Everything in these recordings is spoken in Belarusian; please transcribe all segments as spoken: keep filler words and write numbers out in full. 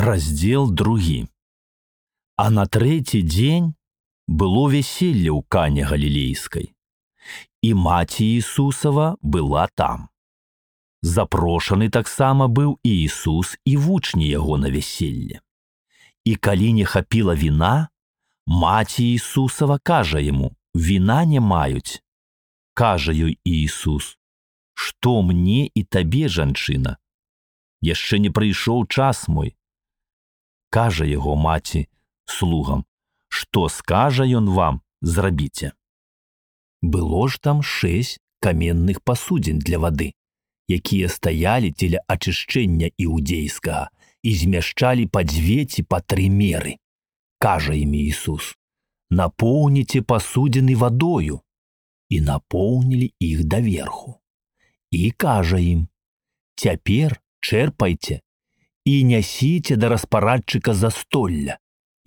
Раздзел другі. А на трэці дзень было вяселле ў Кане Галілейскай, і маці Ісусава была там. Запрошаны таксама быў і Ісус і вучні яго на вяселле. І калі не хапіла віна, маці Ісусава кажа яму: «Віна не маюць». Кажа ёй Ісус: «Што мне і табе, жанчына? Яшчэ не прыйшоў час мой». Кажа яго маці слугам: «Што скажа ён вам, зрабіце». Было ж там шэсць каменных пасудзін для вады, якія стаялі дзеля ачышчэння іудзейскага і змяшчалі па дзве ці па тры меры. Кажа ім Ісус: «Напоўніце пасудзіны вадою». І напоўнілі іх даверху. І кажа ім: «Цяпер чэрпайце і нясіце да распарадчыка застолля».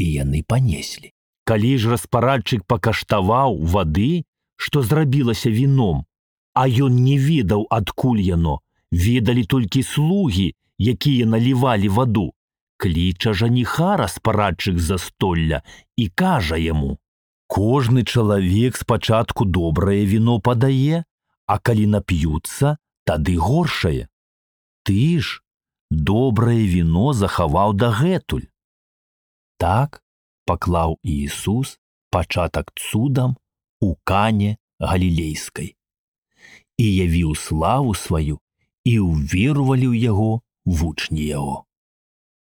І яны панеслі. Калі ж распарадчык пакаштаваў вады, што зрабілася віном, а ён не ведаў, адкуль яно, ведалі толькі слугі, якія налівалі ваду, кліча жаніха распарадчык застолля і кажа яму: «Кожны чалавек спачатку добрае віно падае, а калі нап'юцца, тады горшае. Ты ж добрае віно захаваў дагэтуль». Так паклаў Ісус пачатак цудам у Кане Галілейскай і явіў славу сваю, і ўверувалі ў яго вучні яго.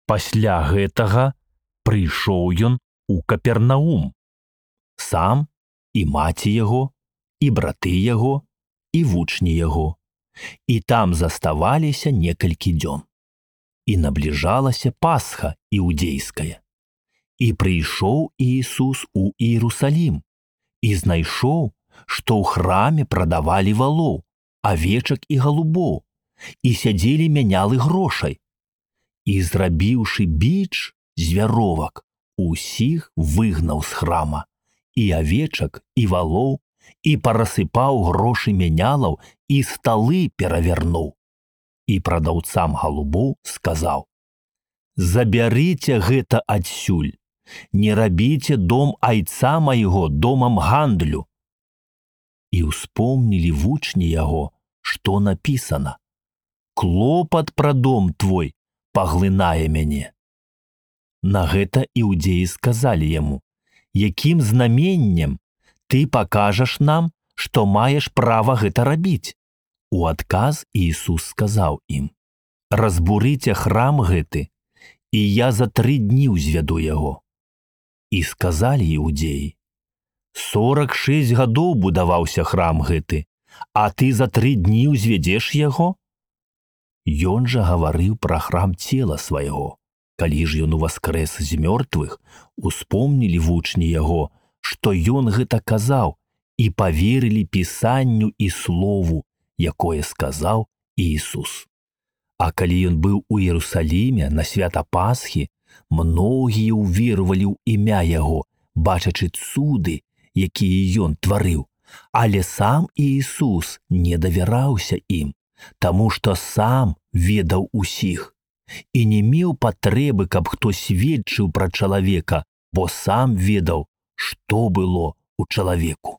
Пасля гэтага прыйшоў ён у Капернаум, сам і маці яго, і браты яго, і вучні яго, і там заставаліся некалькі дзён. І набліжалася Пасха іудзейская. І прыйшоў Ісус у Іерусалім і знайшоў, што ў храме прадавалі валоў, авечак і галубоў, і сядзелі мянялы грошай. І, зрабіўшы біч з вяровак, усіх выгнаў з храма, і авечак, і валоў, і парасыпаў грошы мянялаў, і сталы перавярнуў. І прадаўцам галубоў сказаў: «Забярыце гэта адсюль, не рабіце дом айца майго домам гандлю». І ўспомнілі вучні яго, што напісана: «Клопат пра дом твой паглынае мяне». На гэта іудзеі сказалі яму: «Якім знаменнем ты пакажаш нам, што маеш права гэта рабіць?» У адказ Ісус сказаў ім: «Разбурыце храм гэты, і я за тры дні ўзвяду яго». І сказалі іудзеі: «Сорак шэсць гадоў будаваўся храм гэты, а ты за тры дні ўзвядзеш яго?» Ён жа гаварыў пра храм цела свайго. Калі ж ён уваскрэс з мёртвых, успомнілі вучні яго, што ён гэта казаў, і паверылі пісанню і слову, якое сказаў Ісус. А калі ён быў у Іерусаліме на свята Пасхі, многія ўверувалі ў імя яго, бачачы цуды, якія ён тварыў, але сам Ісус не давяраўся ім, таму што сам ведаў усіх і не меў патрэбы, каб хто сведчыў пра чалавека, бо сам ведаў, што было ў чалавеку.